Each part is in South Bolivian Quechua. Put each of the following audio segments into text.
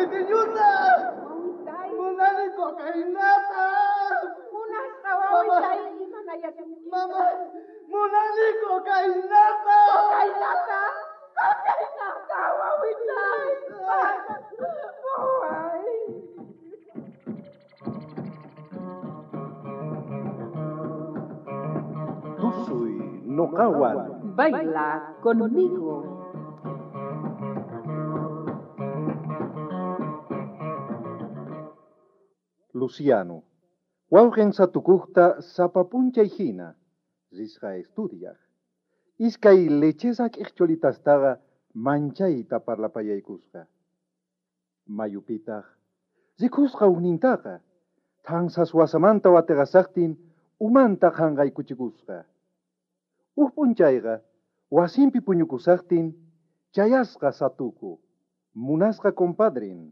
Piqueñuta! Wawitay. Munani cocainata! Munasqa wawitay imanayasunki. Mama, munani cocainata! Cocainata! Cocainata, wawitay! Waway! Tusuy noqawan. Baila conmigo. Luciano, wawqin satukuqta sapa p'unchay hina risqa estudiaq. Iskay lechesa k'iqcholitastaqa manchayta parlapayaykusqa. Mayupitaq rikusqa ujnintaqa thansas wasamanta watiqasaqtin umanta qhanqaykuchikusqa. Uj p'unchayqa wasinpi puñukusaqtin chayasqa satuku, munasqa compadren.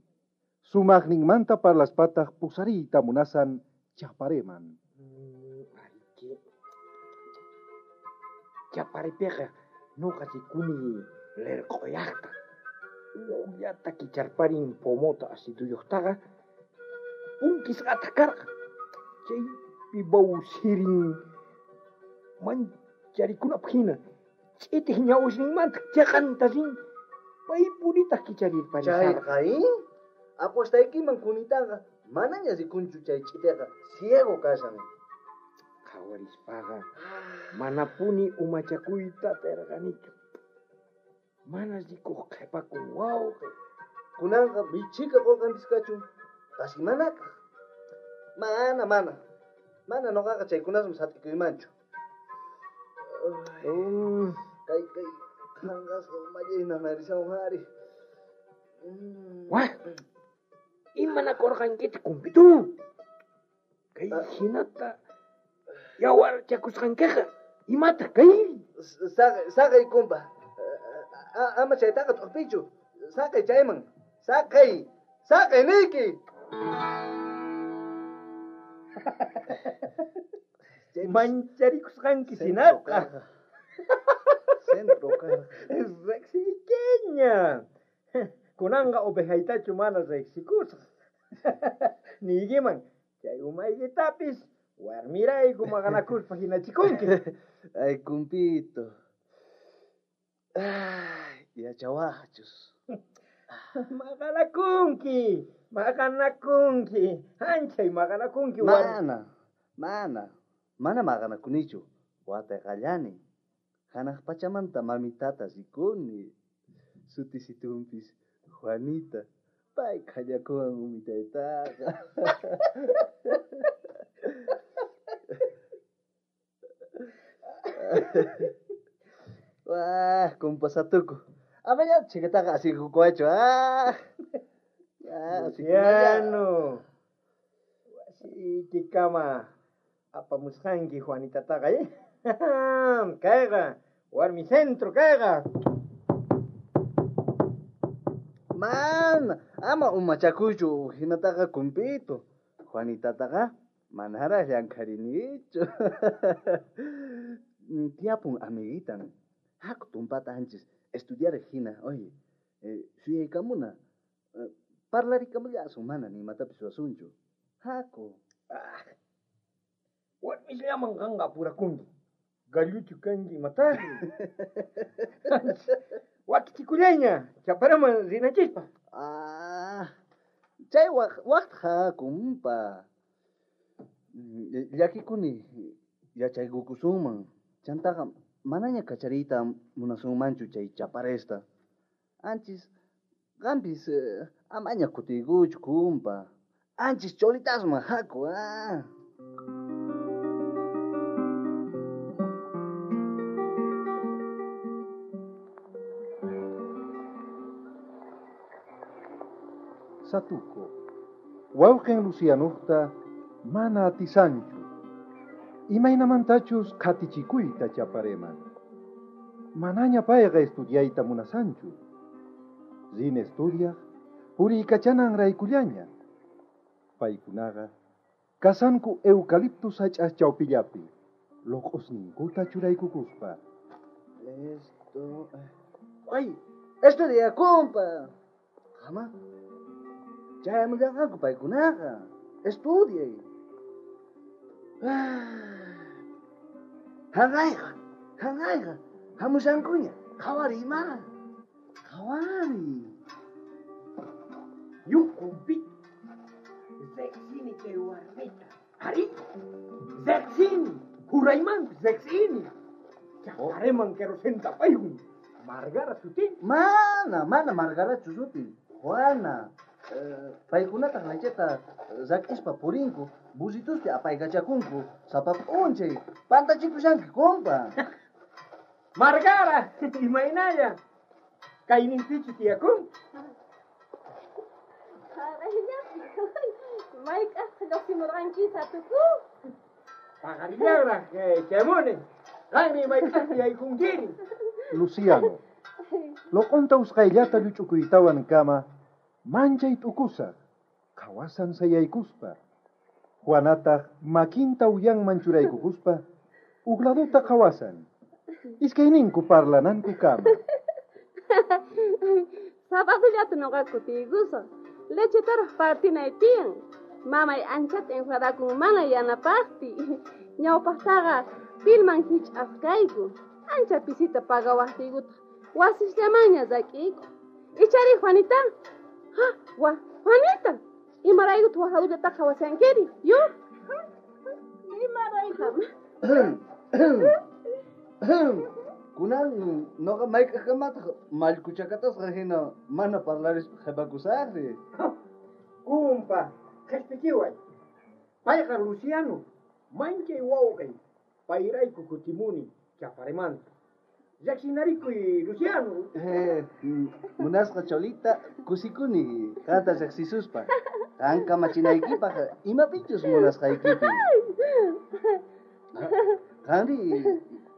Sumaqninmanta parlaspataq pusariyta munasan chapareman. Ariki. Chaparipiqa nuqa rikuni lerq'uyaqta. Ujllata kicharparin pomota aciduyuqtaqa punkisqataq karqa. Chaypi bawsirin mancharikunapaq hina ch'itiq ñawisninmanta chaqanta rin paypunitaq kicharirparisarqa. Chayqa, ¿eh? Apuestaykiman kunitaqa manaña rikunchu chay ch'itiqa ciego kashan. Qhawarispaqa manapuni umachakuyta atirqanichu. Mana rikuq qhipakun wawqi. Kunanqa michika qulqanpis kachun, qasi manakaq. Mana, mana. Mana noqaqa chaykunasman sat'ikuymanchu. Kay, kay, qhanqasqa umallay nanarishawan ari. Wah! Imanakurqankitaq kumpitu? Kay hinata yawarchakusqankiqa imataq kay? Saqay, saqay, kumpa. Ama chaytaqa t'uqpichu. Saqay chayman. Saqay, saqay niyki. Mancharikusqanki sinaqa. Centro karqa. Riqsiykiña. Kunanqa ovejaytachu mana riqsikusqa. Niykiman chay umaykitapis warmirayku maqanakuspa hinachikunki. Ay, kumpito. Ay, yachawaqchus. Maqanakunki, maqanakunki, anchay maqanakunki. Mana, mana, mana maqanakunichu. Wataqallani. Hanaq pachamanta mamitata rikuni. Sutisitunpis Juanita. Pay khallakuwan umitaytaqa. Wah, kumpasatuku. Amaña chikataqa asikukuwachu, ah. Ah, Luciano, wasiykikama apamusqanki Juanitataqa, eh? Kayqa, warmi centro kayqa. Mana, ama umachakuychu hinataqa kumpito. Juanitataqa manaraq llankharinichu. Tiyapun amiguitan. Haku tumpata anchis estudiar hina, oye, suyaykamuna. Parlarikamullasun mana ni imatapis ruwasunchu. Haku. Ah, warmisllaman qanqa apurakunki. Galluchu kanki imataqri. Wakichikullayña, chaparaman rinachispa. Ah, chay waqta hakumpa. Llakikuni yachaykukusunman. Chantaqa manaña kachariyta munasunmanchu chay chaparesta. Anchis qampis amaña kutiykuchu kumpa. Anchis cholitasman haku, ah. Satuco, wawqin Lucianuqta mana atisanchu. Imaynamantachus qhatichikuyta chapareman. Manaña payqa estudiayta munasanchu. Rin estudiaq puriykachanan raykullaña. Paykunaqa kasanku eucalipto sach'as chawpillapi, loq'osninkuta churaykukuspa. Esto, ay, estudia, compa. Jama. Chayamullanqanku paykunaqa. Estudiay. Hanqayqa, hanqayqa, hamushankuña. Qhawariy mana. Qhawariy. Yukumpi. Riqsini chay warmita. Arí, riqsini. Juraymanpis riqsini. Chapareman querosenta paykun. Margara sutin. Mana, mana Margarachu sutin. Juana. Paykunataq lecheta rak'ispa purinku, burrituspi apaykachakunku, sapa p'unchay pantachikushanki, compa. Margara, imaynalla. Kayninpichu tiyakun? Mayk'aqta lluqsimurqanki satuku? Paqarillanraq chamuni. Qanmi mayk'aqta yaykunkiri. Luciano, loqonta usqhayllata lluch'ukuytawan kama manchay t'ukusaq, qhawasan sayaykuspa. Juanataq makinta uyanman churaykukuspa uj laduta qhawasan. Iskayninku parlananku kama. Sabadullata noqa kutiykusaq. Lechetaraq partinay tiyan. Mamay anchata enfadakun mana yanapaqpi. Ñawpaqtaqa pilman hich'aq kayku. Ancha pisita pagawaqtiykutaq wasisllamanña rak'iyku. Ichari Juanita? Ha, wa, Juanita. Imaraykutaq waj ladullataqa qhawashankiri? Yo? Imarayku? Kunan noqa mayk'aqkamataq mallkuchakatasqa hina mana parlarispa qhipakusaqri. Kumpa, qhispichiway. Payqa Luciano, manchay wawqay. Payrayku kutimuni Chaparemanta. Riqsinarikuy, Luciano. Munasqa Cholita, kusikuni qanta riqsisuspa. Qan kamachinaykipaq imapichus munasqaykipi. Qanri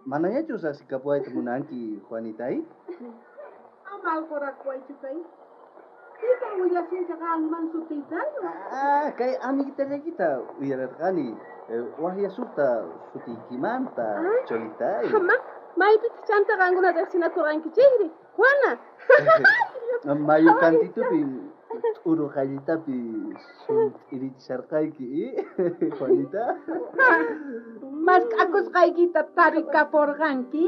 manañachus asikapuwayta munanki, Juanitay? Ama alqurakuwaychu kay. Pitaq willasunki qanman sutiytayu? Ah, kay amiguitallaykita uyararqani. Waqyasukta sutiykimanta, Cholitay. Ama, maypitaq chanta qankuna riqsinakurqankichikri, Juana? Mayu kantitupi t'uru qallitapi sunt'irichisharqayki, Juanita? Mask'akusqaykita tarikapurqanki,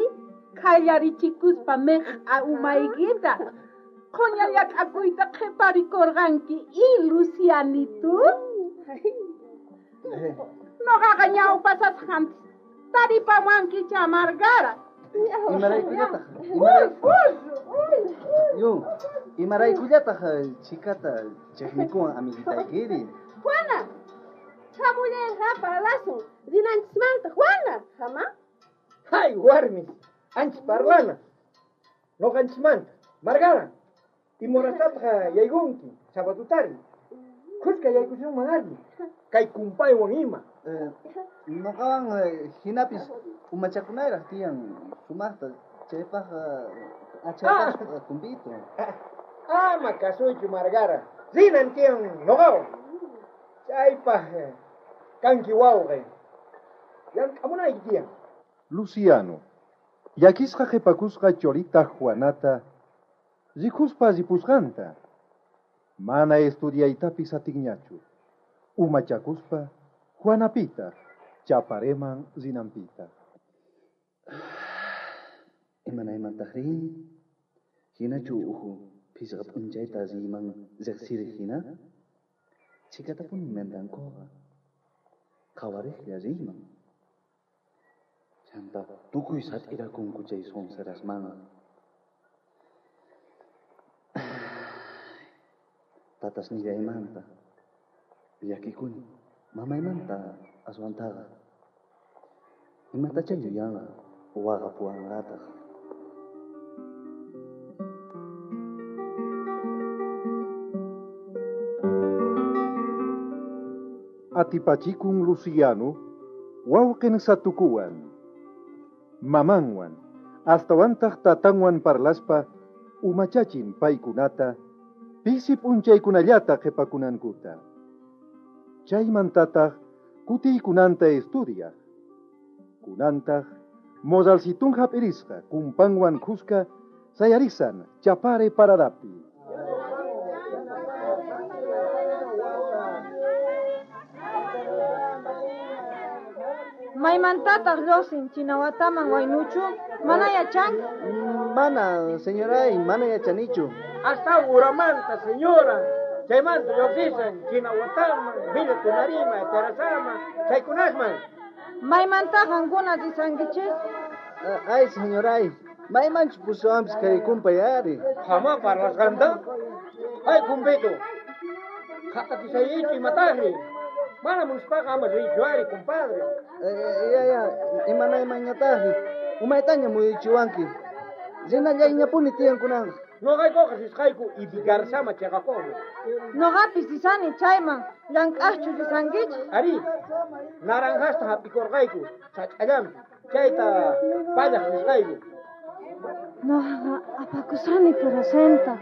qhallarichikuspa miq'a umaykita. Qhuña llak'akuyta qhiparikurqanki, Lucianito? Noqaqa ñawpasasqanpis taripawankicha Margara. Imaraykullataq? Yo, imaraykullataq chikata chiqnikuwan amiguitaykiri? Juana, hamullayqa parlasun rinanchismanta, Juana, hama? Hay, warmis, anchis parlana. Noqanchismanta, Margara, imorastataq yaykunki sabatutari. Khuska yaykusunman ari, kay kumpaywan ima. Noqawan hinapis umachakunayraq tiyan sumaqta chaypaq achaypaq kumpito. Ama kasuychu Margara, rinan tiyan noqawan. Chaypaq kanki wawqay. Llank'amunayki tiyan. Luciano, llakisqa qhipakusqa Cholita Juanata rikuspa ripusqanta. Mana estudiaytapis atinñachu. Umachakuspa Juanapita Chapareman rinanpita. Imanaymantaqri? Hinachu uhu phisqa p'unchayta riyman riqsiriq hina? Chhikatapuni mentankuqa. Qhawariqlla riyman. Chanta tukuy sat'irakunku chay sonserasmanqa. Tatasnillaymanta llakikuni, mamaymanta aswantaqa. Imatachá yuyanqa waqapuwanqataq. Atipachikun Luciano, wawqin satukuwan, mamanwan, astawantaq tatanwan parlaspa, umachachin paykunata, pisi p'unchaykunallata qhipakunankuta. Chaymantataq kutiykunanta estudiaq. Kunantaq moralcitun hap'irisqa kumpanwan khuska sayarisan Chapare paradapi. Maymantataq lluqsin Chinawataman waynuchu? Mana yachanki? Mana, señoray, mana yachanichu. Hasta uramanta, señora. Chaymanta lluqsisan Chinawataman, Villa Tunarima, Terrazama, chaykunasman. Maymanta qankuna risankichis? Ay, señoray, maymanchu pusawanpis kay kumpay ari. Jama parlasqanta? Ay, kumpito. Qhatatisaychu imataqri. Mana munaspaqa ama riychu ari, compadre. Ya, ya, imanaymanñataqri. Umaytaña muyuchiwanki. Rinallayñapuni tiyan kunanqa. Noqaykuqa risqayku Ibigarzama chayqakuna. Noqapis risani chayman, llank'aqchu risankichis? Ari, naranjasta hap'ikurqayku sach'allanpi. Chayta pallaq risqayku. Noqaqa apakusani querosenta.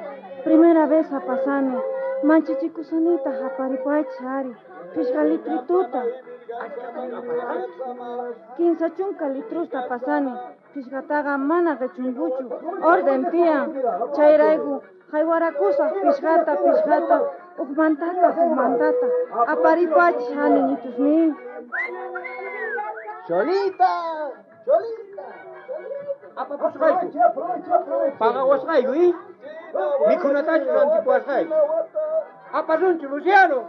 Primera vez apasani. Manchachikusonitaq aparipuwaychis ari. Phishqa litrituta. 30 litrusta pasani. Phishqataqa mana qichunkuchu. Orden tiyan. Chayrayku haywarakusaq phishqata phishqata uqmantata uqmantata. Aparipuwaychis ani ñitusnin. Cholita, Cholita. Apapusqayku. Pagawasqayku, ¿eh? Mikhunatachu rantipuwasqayku. Apasunchu, Luciano.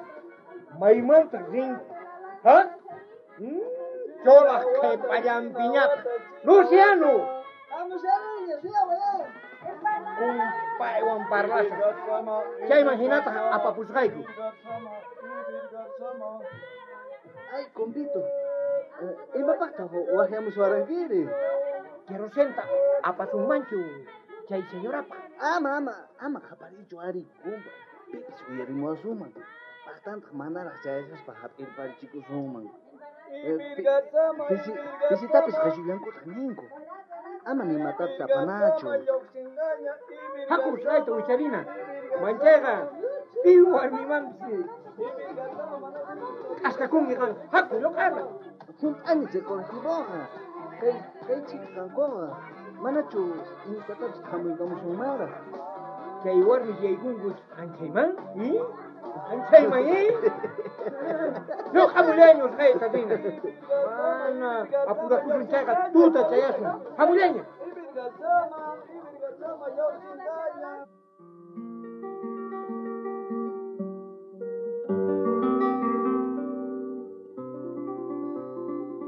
Maymantaq rinki, ha? Cholaq qhipallanpiñataq. Luciano. Kumpaywan parlasaq. Chayman hinataq apapusqayku. Ay, kumpito. Imapaqtaq waqyamuswarankiri? Querosenta apasunmanchu chay señorapaq. Ama, ama, ama qhaparichu ari, kumpa. Pipis uyarimuwasunman. Paqtantaq manaraq chayashaspa hap'irparichikusunman. Pisitapis qhishullankutaq ninku. Ama nimatapis apanachu. Haku usqhayta wicharina. Manchayqa pi warmimanpis k'askakunki qan. Haku lluq'ana. Hunt'ani chay colectivoqa. Kay chika kankuqa. Manachu imatatapis khamuykamusunmanraq. Chay warmi yaykunku anchayman, ¿eh? Anchayman, ¿eh? Lluq'amullaña usqhayta rina. Mana apurakusun chayqa tuta chayasun. Hamullaña.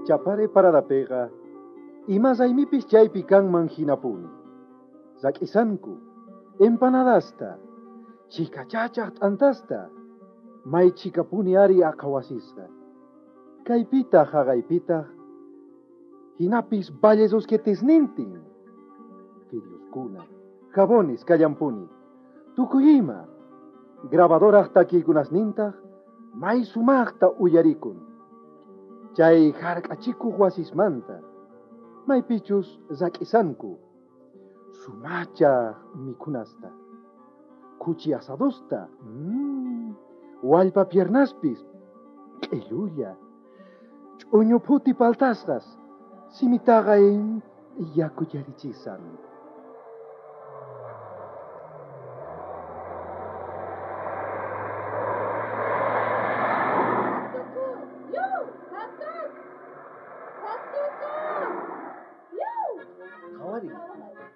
Chapare paradapiqa ima raymipis chaypi kanman hinapuni. Rak'isanku, empanadasta, chikachachaq t'antasta, may chikapuni ari aqhawasisqa. Kaypitaq haqaypitaq, hinapis vallesusquetisnintin. Fideoskuna, jabones kallampuni, tukuy ima. Grabadoraj takiykunasnintaq may sumaqta uyarikun. Chay hark'achikuq wasismanta, maypichus rak'isanku, sumachaq mikhunasta, khuchi asadosta, wallpa piernaspis, q'illulla, ch'uñu phuti paltasqas, simitaqa yakuyarichisan.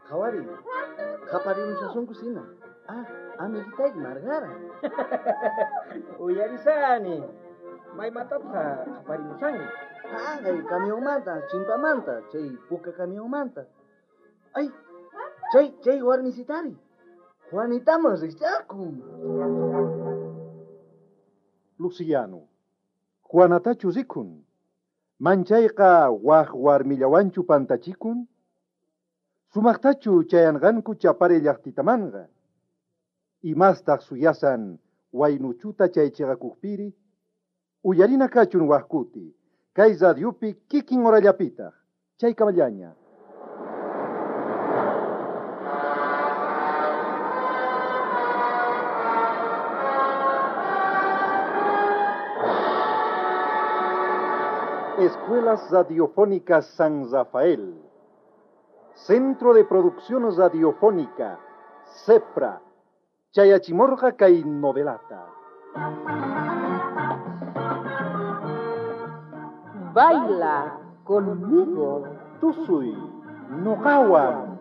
Qhawari, qhaparimushasunku sina. Ah, amiguitayki Margara. Uyarisani. Maymantataq qhaparimusanki? Haqay camionmanta, chimpamanta, chay puka camionmanta. Ay, chay warmisitari. Juanitaman rikch'akun. Luciano, Juanatachu rikun. Manchayqa waj warmillawanchu pantachikun. Sumaqtachu chayanqanku Chapare llaqtitamanqa. Imastaq suyasan waynuchuta chay chiqakuqpiri. Uyarina kachun wajkuti. Kay radiopi kikin horallapitaq. Chaykamallaña. Escuelas Radiofónicas San Rafael. Centro de Producción Radiofónica, CEPRA, Chayachimorga kay novelata. Baila. Conmigo, tusuy, noqawan.